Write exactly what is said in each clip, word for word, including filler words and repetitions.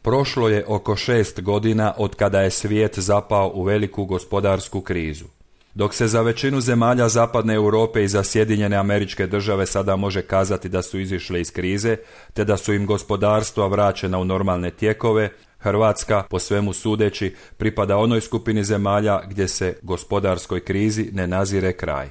Prošlo je oko šest godina od kada je svijet zapao u veliku gospodarsku krizu. Dok se za većinu zemalja zapadne Europe i za Sjedinjene Američke Države sada može kazati da su izišle iz krize, te da su im gospodarstva vraćena u normalne tijekove, Hrvatska, po svemu sudeći, pripada onoj skupini zemalja gdje se gospodarskoj krizi ne nazire kraj.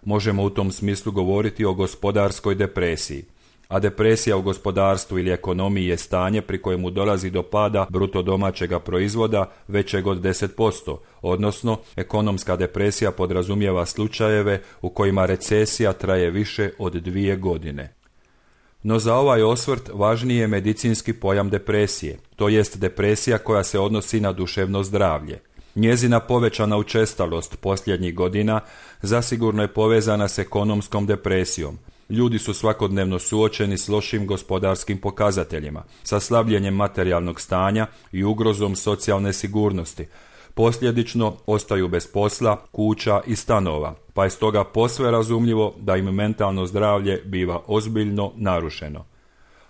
Možemo u tom smislu govoriti o gospodarskoj depresiji. A depresija u gospodarstvu ili ekonomiji je stanje pri kojemu dolazi do pada bruto domaćega proizvoda većeg od deset posto, odnosno ekonomska depresija podrazumijeva slučajeve u kojima recesija traje više od dvije godine. No za ovaj osvrt važniji je medicinski pojam depresije, to jest depresija koja se odnosi na duševno zdravlje. Njezina povećana učestalost posljednjih godina zasigurno je povezana s ekonomskom depresijom. Ljudi su svakodnevno suočeni s lošim gospodarskim pokazateljima, sa slabljenjem materijalnog stanja i ugrozom socijalne sigurnosti. Posljedično ostaju bez posla, kuća i stanova, pa je stoga posve razumljivo da im mentalno zdravlje biva ozbiljno narušeno.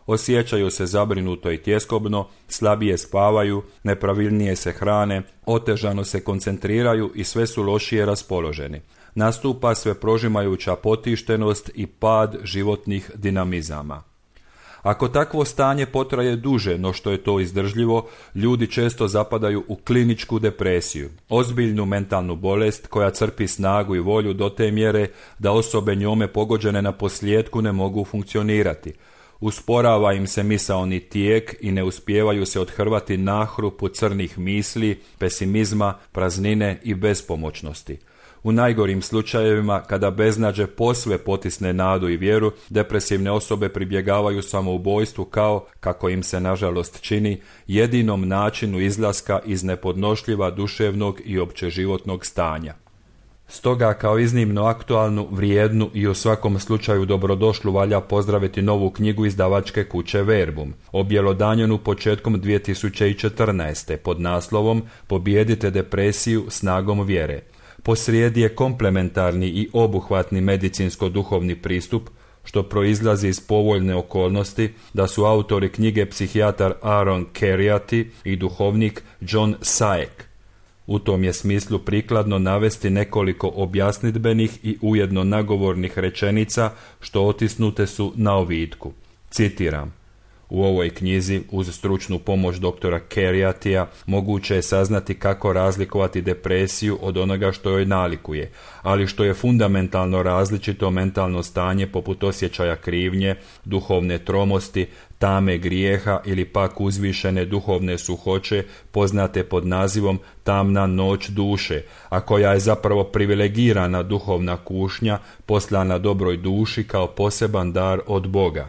Osjećaju se zabrinuto i tjeskobno, slabije spavaju, nepravilnije se hrane, otežano se koncentriraju i sve su lošije raspoloženi. Nastupa sve prožimajuća potištenost i pad životnih dinamizama. Ako takvo stanje potraje duže no što je to izdržljivo, ljudi često zapadaju u kliničku depresiju, ozbiljnu mentalnu bolest koja crpi snagu i volju do te mjere da osobe njome pogođene na posljetku ne mogu funkcionirati. Usporava im se misaoni tijek i ne uspijevaju se othrvati nahrupu crnih misli, pesimizma, praznine i bespomoćnosti. U najgorim slučajevima, kada beznađe posve potisne nadu i vjeru, depresivne osobe pribjegavaju samoubojstvu kao, kako im se nažalost čini, jedinom načinu izlaska iz nepodnošljiva duševnog i općeživotnog stanja. Stoga kao iznimno aktualnu, vrijednu i u svakom slučaju dobrodošlu valja pozdraviti novu knjigu izdavačke kuće Verbum, objelodanjenu početkom dvije tisuće četrnaeste pod naslovom Pobijedite depresiju snagom vjere. Posrijedi je komplementarni i obuhvatni medicinsko-duhovni pristup, što proizlazi iz povoljne okolnosti da su autori knjige psihijatar Aaron Kheriaty i duhovnik John Saek. U tom je smislu prikladno navesti nekoliko objasnidbenih i ujedno nagovornih rečenica što otisnute su na ovitku. Citiram: u ovoj knjizi, uz stručnu pomoć doktora Kheriatyja, moguće je saznati kako razlikovati depresiju od onoga što joj nalikuje, ali što je fundamentalno različito mentalno stanje poput osjećaja krivnje, duhovne tromosti, tame grijeha ili pak uzvišene duhovne suhoće poznate pod nazivom tamna noć duše, a koja je zapravo privilegirana duhovna kušnja poslana dobroj duši kao poseban dar od Boga.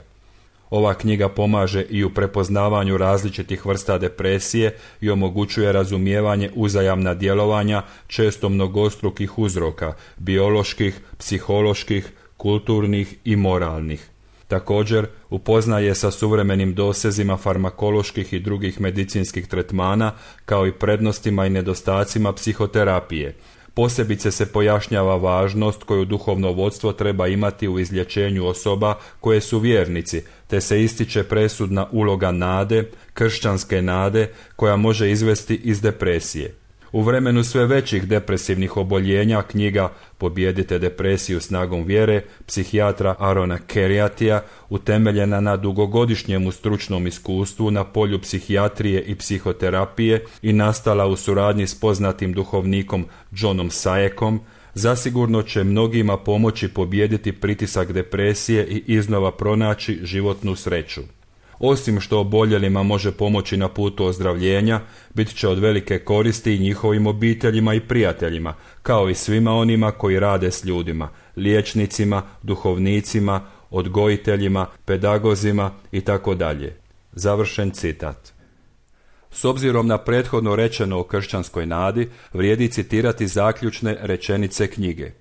Ova knjiga pomaže i u prepoznavanju različitih vrsta depresije i omogućuje razumijevanje uzajamna djelovanja često mnogostrukih uzroka, bioloških, psiholoških, kulturnih i moralnih. Također, upoznaje sa suvremenim dosezima farmakoloških i drugih medicinskih tretmana, kao i prednostima i nedostacima psihoterapije. Posebice se pojašnjava važnost koju duhovno vodstvo treba imati u izlječenju osoba koje su vjernici, te se ističe presudna uloga nade, kršćanske nade, koja može izvesti iz depresije. U vremenu sve većih depresivnih oboljenja knjiga Pobijedite depresiju snagom vjere psihijatra Aarona Kheriatyja, utemeljena na dugogodišnjemu stručnom iskustvu na polju psihijatrije i psihoterapije i nastala u suradnji s poznatim duhovnikom Johnom Saekom, zasigurno će mnogima pomoći pobijediti pritisak depresije i iznova pronaći životnu sreću. Osim što oboljelima može pomoći na putu ozdravljenja, bit će od velike koristi i njihovim obiteljima i prijateljima, kao i svima onima koji rade s ljudima, liječnicima, duhovnicima, odgojiteljima, pedagozima i tako dalje. Završen citat. S obzirom na prethodno rečeno o kršćanskoj nadi, vrijedi citirati zaključne rečenice knjige.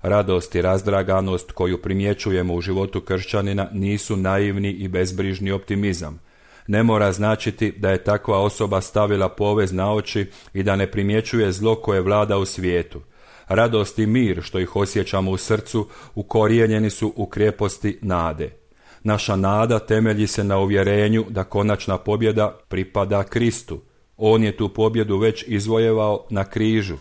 Radost i razdraganost koju primjećujemo u životu kršćanina nisu naivni i bezbrižni optimizam. Ne mora značiti da je takva osoba stavila povez na oči i da ne primjećuje zlo koje vlada u svijetu. Radost i mir što ih osjećamo u srcu ukorijenjeni su u krijeposti nade. Naša nada temelji se na uvjerenju da konačna pobjeda pripada Kristu. On je tu pobjedu već izvojevao na križu.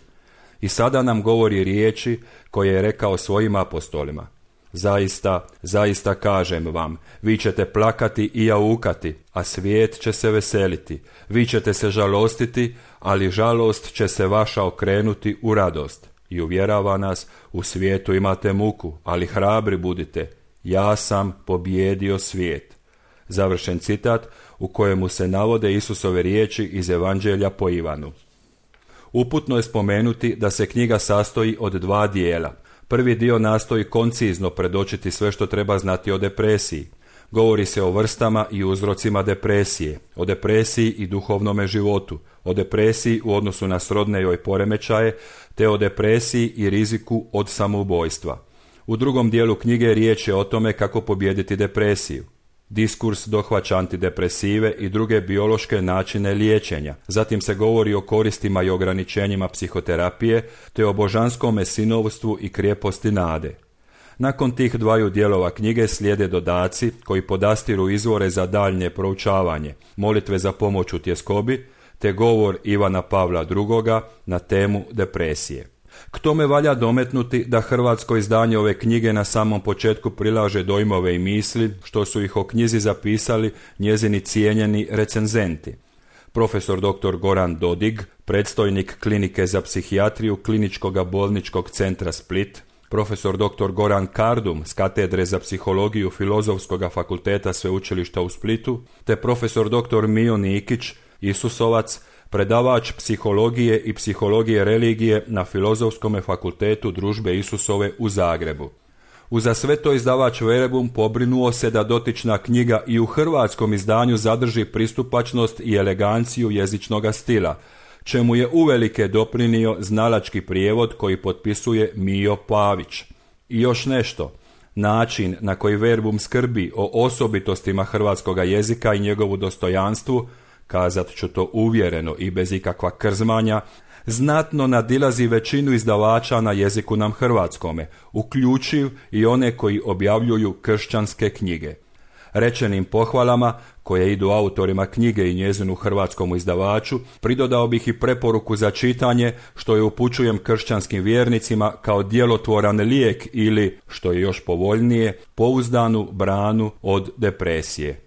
I sada nam govori riječi koje je rekao svojim apostolima. Zaista, zaista kažem vam, vi ćete plakati i jaukati, a svijet će se veseliti. Vi ćete se žalostiti, ali žalost će se vaša okrenuti u radost. I uvjerava nas, u svijetu imate muku, ali hrabri budite. Ja sam pobijedio svijet. Završen citat u kojemu se navode Isusove riječi iz Evanđelja po Ivanu. Uputno je spomenuti da se knjiga sastoji od dva dijela. Prvi dio nastoji koncizno predočiti sve što treba znati o depresiji. Govori se o vrstama i uzrocima depresije, o depresiji i duhovnome životu, o depresiji u odnosu na srodne joj poremećaje, te o depresiji i riziku od samoubojstva. U drugom dijelu knjige riječ je o tome kako pobijediti depresiju. Diskurs dohvaća antidepresive i druge biološke načine liječenja. Zatim se govori o koristima i ograničenjima psihoterapije, te o božanskome sinovstvu i krijeposti nade. Nakon tih dvaju dijelova knjige slijede dodaci koji podastiru izvore za daljnje proučavanje, molitve za pomoć u tjeskobi, te govor Ivana Pavla drugoga na temu depresije. K tome valja dometnuti da hrvatsko izdanje ove knjige na samom početku prilaže dojmove i misli, što su ih o knjizi zapisali njezini cijenjeni recenzenti. Profesor doktor Goran Dodig, predstojnik klinike za psihijatriju Kliničkog bolničkog centra Split, profesor doktor Goran Kardum s katedre za psihologiju Filozofskog fakulteta Sveučilišta u Splitu, te profesor doktor Mijo Nikić, Isusovac, predavač psihologije i psihologije religije na Filozofskom fakultetu Družbe Isusove u Zagrebu. Uza sve to izdavač Verebum pobrinuo se da dotična knjiga i u hrvatskom izdanju zadrži pristupačnost i eleganciju jezičnoga stila, čemu je uvelike doprinio znalački prijevod koji potpisuje Mijo Pavić. I još nešto, način na koji Verebum skrbi o osobitostima hrvatskoga jezika i njegovu dostojanstvu, kazat ću to uvjereno i bez ikakva krzmanja, znatno nadilazi većinu izdavača na jeziku nam hrvatskome, uključiv i one koji objavljuju kršćanske knjige. Rečenim pohvalama, koje idu autorima knjige i njezinu hrvatskom izdavaču, pridodao bih i preporuku za čitanje, što je upućujem kršćanskim vjernicima kao djelotvoran lijek ili, što je još povoljnije, pouzdanu branu od depresije.